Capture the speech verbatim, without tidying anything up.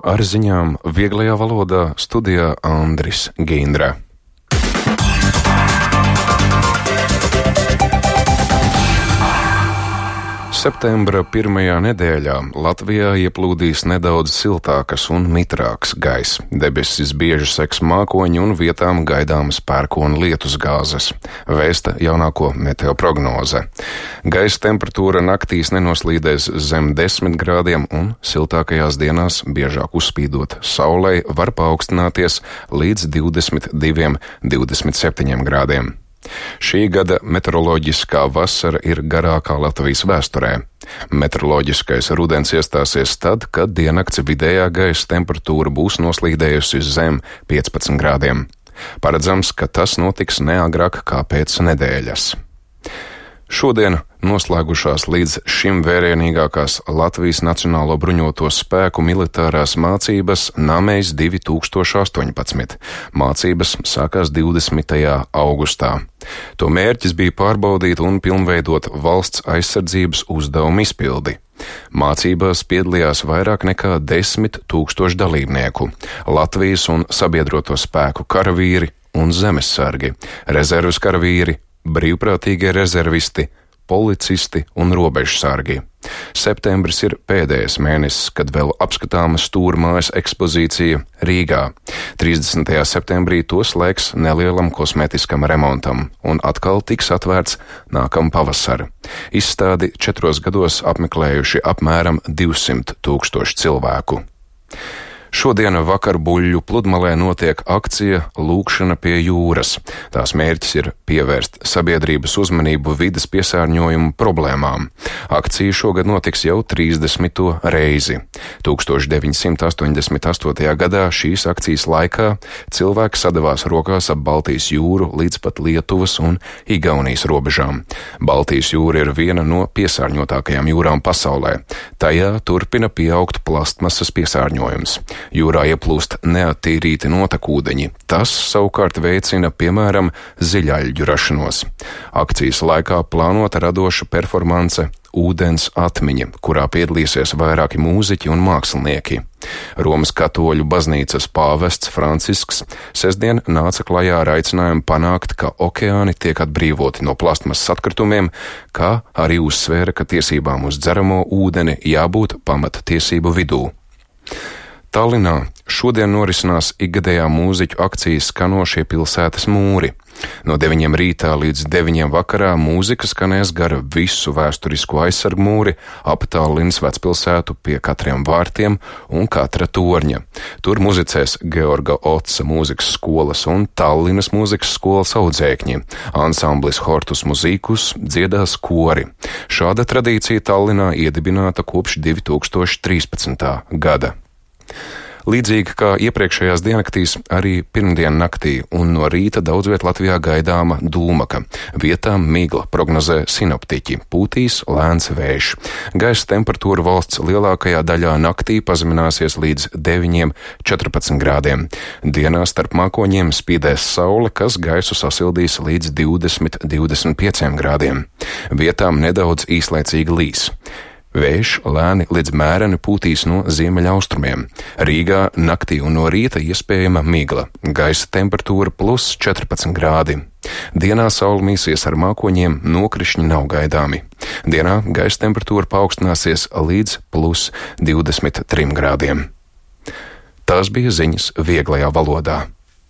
ar ziņām vieglajā valodā studijā Andris Gīndra. Septembra pirmajā nedēļā Latvijā ieplūdīs nedaudz siltākas un mitrāks gaiss. Debesis bieži seks mākoņi un vietām gaidāmas pērkona lietusgāzes, vēsta jaunāko meteoprognoze. Gaisa temperatūra naktīs nenoslīdēs zem desmit grādiem un siltākajās dienās, biežāk uzspīdot saulei, var paaugstināties līdz divdesmit diviem, divdesmit septiņiem grādiem. Šī gada meteoroloģiskā vasara ir garākā Latvijas vēsturē. Meteoroloģiskais rudens iestāsies tad, kad diennakts vidējā gaisa temperatūra būs noslīdējusi zem piecpadsmit grādiem. Paredzams, ka tas notiks neagrāk kā pēc nedēļas. Šodien noslēgušās līdz šim vērienīgākās Latvijas Nacionālo bruņoto spēku militārās mācības Namejs divi tūkstoši astoņpadsmit. Mācības sākās divdesmitajā augustā. To mērķis bija pārbaudīt un pilnveidot valsts aizsardzības uzdevumu izpildi. Mācībās piedalījās vairāk nekā desmit tūkstoši dalībnieku - Latvijas un sabiedroto spēku karavīri un zemessargi, rezerves karavīri, brīvprātīgie rezervisti, policisti un robežsargi. Septembris ir pēdējais mēnesis, kad vēl apskatāma stūrmājas ekspozīcija Rīgā. trīsdesmitajā septembrī to slēgs nelielam kosmētiskam remontam un atkal tiks atvērts nākamā pavasara. Izstādi četros gados apmeklējuši apmēram divsimt tūkstoši cilvēku. Šodien vakar Buļļu pludmalē notiek akcija Lūkšana pie jūras. Tās mērķis ir pievērst sabiedrības uzmanību vides piesārņojumu problēmām. Akcija šogad notiks jau trīsdesmito reizi. tūkstoš deviņsimt astoņdesmit astotajā gadā šīs akcijas laikā cilvēki sadavās rokās ap Baltijas jūru līdz pat Lietuvas un Igaunijas robežām. Baltijas jūra ir viena no piesārņotākajām jūrām pasaulē. Tajā turpina pieaugt plastmasas piesārņojums. Jūrā ieplūst neattīrīti notekūdeņi. Tas savukārt veicina, piemēram, ziļaļģu rašanos. Akcijas laikā plānota radoša performance Ūdens atmiņa, kurā piedalīsies vairāki mūziķi un mākslinieki. Romas katoļu baznīcas pāvests Francisks sestdien nāca klajā ar aicinājumu panākt, ka okeāni tiek atbrīvoti no plastmasas atkritumiem, kā arī uzsvēra, ka tiesībām uz dzeramo ūdeni jābūt pamata tiesību vidū. Tallinā šodien norisinās ikgadējā mūziķu akcija Skanošie pilsētas mūri. No deviņiem rītā līdz deviņiem vakarā mūzika skanēs gar visu vēsturisko aizsargu mūri ap Tallinas vecpilsētu pie katriem vārtiem un katra torņa. Tur muzicēs Georga Otsa mūzikas skolas un Tallinas mūzikas skolas audzēkņi. Ansamblis Hortus Muzīkus dziedās kori. Šāda tradīcija Tallinā iedibināta kopš divi tūkstoši trīspadsmitā gada. Līdzīgi kā iepriekšējās diennaktīs, arī pirmdien naktī un no rīta daudz viet Latvijā gaidāma dūmaka. Vietām migla, prognozē sinoptiķi, pūtīs lēns vējš. Gaisa temperatūra valsts lielākajā daļā naktī pazemināsies līdz deviņiem, četrpadsmit grādiem. Dienā starp mākoņiem spīdēs saule, kas gaisu sasildīs līdz divdesmit, divdesmit pieciem grādiem. Vietām nedaudz īslaicīgi līs. Vējš lēni līdz mēreni pūtīs no ziemeļaustrumiem. Rīgā naktī un no rīta iespējama migla. Gaisa temperatūra plus četrpadsmit grādi. Dienā saule mīsies ar mākoņiem, nokrišņi nav gaidāmi. Dienā gaisa temperatūra paaugstināsies līdz plus divdesmit trim grādiem. Tās bija ziņas vieglajā valodā.